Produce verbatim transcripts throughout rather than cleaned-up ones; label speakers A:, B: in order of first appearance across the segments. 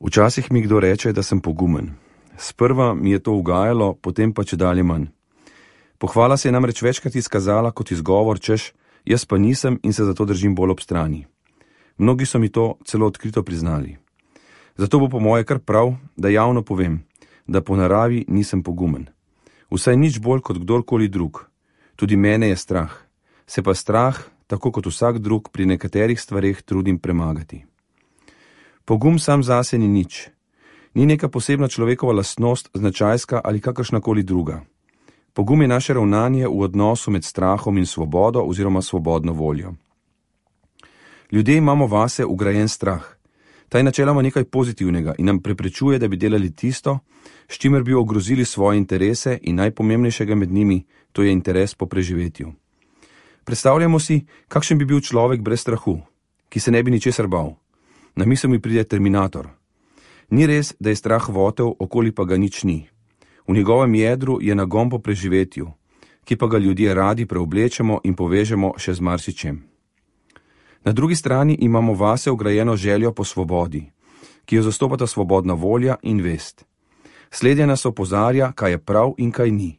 A: Včasih mi kdo reče, da sem pogumen. Sprva mi je to ugajalo, potem pa čedalje manj. Pohvala se je namreč večkrat izkazala kot izgovor, češ, jaz pa nisem in se zato držim bolj ob strani. Mnogi so mi to celo odkrito priznali. Zato bo po moje kar prav, da javno povem, da po naravi nisem pogumen. Vsaj nič bolj kot kdorkoli drug. Tudi mene je strah. Se pa strah, tako kot vsak drug, pri nekaterih stvareh trudim premagati. Pogum sam zase ni nič. Ni neka posebna človekova lastnost, značajska ali kakršnakoli druga. Pogum je naše ravnanje v odnosu med strahom in svobodo oziroma svobodno voljo. Ljudje imamo vase ugrajen strah. Ta je načeloma nekaj pozitivnega in nam preprečuje, da bi delali tisto, s čimer bi ogrozili svoje interese in najpomembnejšega med njimi, to je interes po preživetju. Predstavljamo si, kakšen bi bil človek brez strahu, ki se ne bi ničesar bal. Na misel mi pride Terminator. Ni res, da je strah votel, okoli pa ga nič ni. V njegovem jedru je nagon po preživetju, ki pa ga ljudje radi preoblečemo in povežemo še z marsičem. Na drugi strani imamo vase vgrajeno željo po svobodi, ki jo zastopata svobodna volja in vest. Slednja nas opozarja, kaj je prav in kaj ni,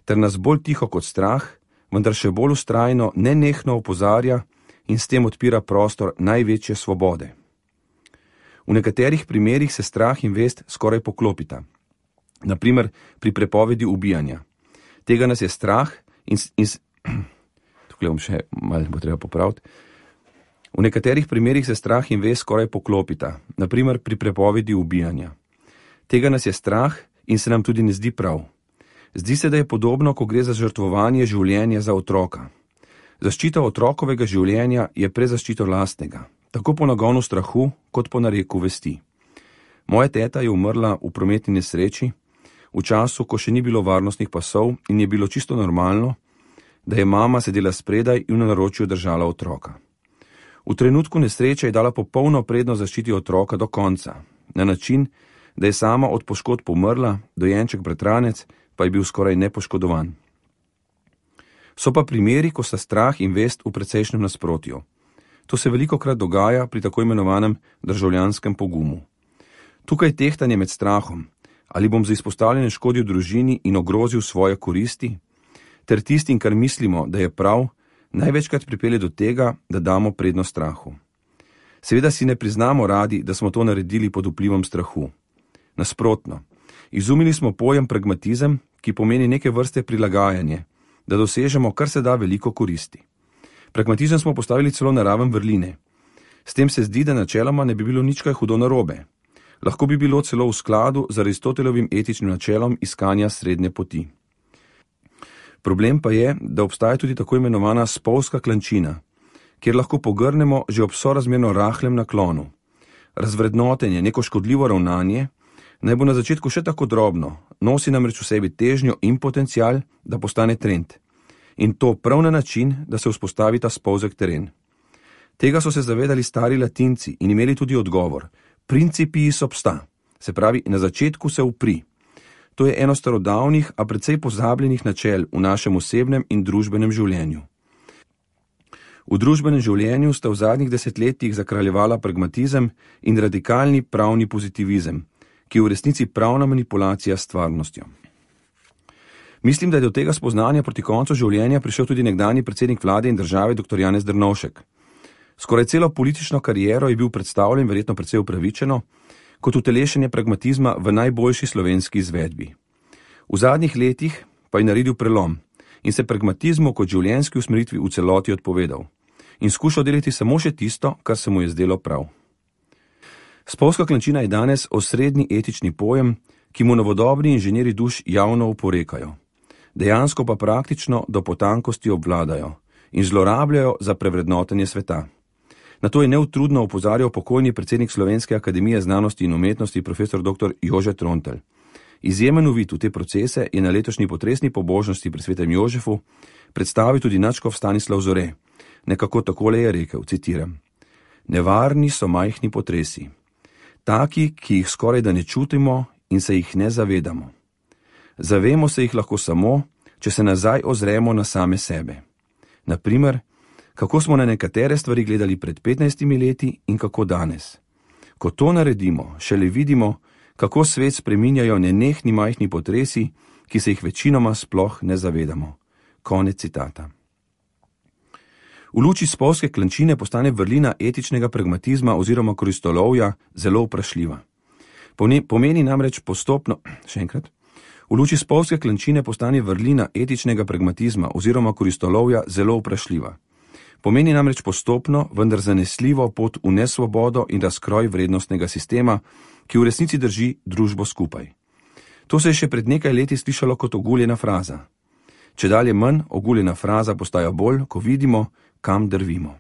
A: ter nas bolj tiho kot strah, vendar še bolj vztrajno nenehno opozarja in s tem odpira prostor največje svobode. V nekaterih primerih se strah in vest skoraj poklopita. Naprimer pri prepovedi ubijanja. Tega nas je strah in... in tukaj bom še malo bo treba popraviti. V nekaterih primerih se strah in vest skoraj poklopita. Naprimer pri prepovedi ubijanja. Tega nas je strah in se nam tudi ne zdi prav. Zdi se, da je podobno, ko gre za žrtvovanje življenja za otroka. Zaščita otrokovega življenja je prezaščito lastnega, tako po nagonu strahu, kot po nareku vesti. Moja teta je umrla v prometni nesreči, v času, ko še ni bilo varnostnih pasov in je bilo čisto normalno, da je mama sedela spredaj in v naročju držala otroka. V trenutku nesreče je dala popolno prednost zaščiti otroka do konca, na način, da je sama od poškodb umrla, dojenček bratranec pa je bil skoraj nepoškodovan. So pa primeri, ko sta strah in vest v precejšnjem nasprotju. To se velikokrat dogaja pri tako imenovanem državljanskem pogumu. Tukaj je tehtanje med strahom, ali bom za izpostavljene škodil družini in ogrozil svoje koristi, ter tistim, kar mislimo, da je prav, največkrat pripelje do tega, da damo prednost strahu. Seveda si ne priznamo radi, da smo to naredili pod vplivom strahu. Nasprotno, izumili smo pojem pragmatizem, ki pomeni neke vrste prilagajanje, da dosežemo kar se da veliko koristi. Pragmatizem smo postavili celo na raven vrline. S tem se zdi, da načeloma ne bi bilo nič kaj hudo narobe. Lahko bi bilo celo v skladu z Aristotelovim etičnim načelom iskanja srednje poti. Problem pa je, da obstaja tudi tako imenovana spolzka klančina, kjer lahko pogrnemo že ob sorazmerno rahlem naklonu. Razvrednotenje, neko škodljivo ravnanje, naj bo na začetku še tako drobno, nosi namreč v sebi težnjo in potencial, da postane trend. In to prav na način, da se vzpostavi ta spolzek teren. Tega so se zavedali stari Latinci in imeli tudi odgovor. Principiis obsta, se pravi, na začetku se upri. To je eno starodavnih, a precej pozabljenih načel v našem osebnem in družbenem življenju. V družbenem življenju sta v zadnjih desetletjih zakraljevala pragmatizem in radikalni pravni pozitivizem, ki je v resnici pravna manipulacija s stvarnostjo. Mislim, da je do tega spoznanja proti koncu življenja prišel tudi nekdanji predsednik vlade in države dr. Janez Drnovšek. Skoraj celo politično kariero je bil predstavljen, verjetno precej upravičeno, kot utelešenje pragmatizma v najboljši slovenski izvedbi. V zadnjih letih pa je naredil prelom in se pragmatizmu kot življenjski usmeritvi v celoti odpovedal in skušal delati samo še tisto, kar se mu je zdelo prav. Spolzka klančina je danes osrednji etični pojem, ki mu novodobni inženirji duš javno oporekajo. Dejansko pa praktično do potankosti obvladajo in zlorabljajo za prevrednotenje sveta. Na to je neutrudno opozarjal pokojni predsednik Slovenske akademije znanosti in umetnosti profesor dr. Jože Trontelj. Izjemen uvid v te procese je na letošnji potresni pobožnosti pri svetem Jožefu predstavil tudi nadškof Stanislav Zore. Nekako takole je rekel, citiram: Nevarni so majhni potresi, taki, ki jih skoraj da ne čutimo in se jih ne zavedamo. Zavemo se jih lahko samo, če se nazaj ozremo na same sebe. Naprimer, kako smo na nekatere stvari gledali pred petnajstimi leti in kako danes. Ko to naredimo, šele vidimo, kako svet spreminjajo nenehni majhni potresi, ki se jih večinoma sploh ne zavedamo. Konec citata. V luči spolske klančine postane vrlina etičnega pragmatizma oziroma koristolovja zelo vprašljiva. Pomeni namreč postopno, še enkrat, v luči spolske klančine postane vrlina etičnega pragmatizma oziroma koristolovja zelo vprašljiva. Pomeni namreč postopno, vendar zanesljivo pot v nesvobodo in razkroj vrednostnega sistema, ki v resnici drži družbo skupaj. To se je še pred nekaj leti slišalo kot oguljena fraza. Čedalje manj oguljena fraza postaja bolj, ko vidimo, kam drvimo.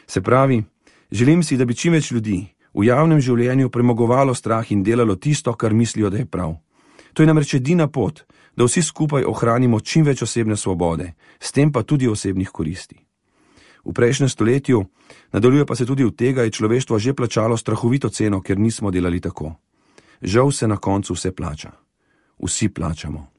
A: Se pravi, želim si, da bi čim več ljudi v javnem življenju premagovalo strah in delalo tisto, kar mislijo, da je prav. To je namreč edina pot, da vsi skupaj ohranimo čim več osebne svobode, s tem pa tudi osebnih koristi. V prejšnjem stoletju, nadaljuje pa se tudi v tega, je človeštvo že plačalo strahovito ceno, ker nismo delali tako. Žal se na koncu vse plača. Vsi plačamo.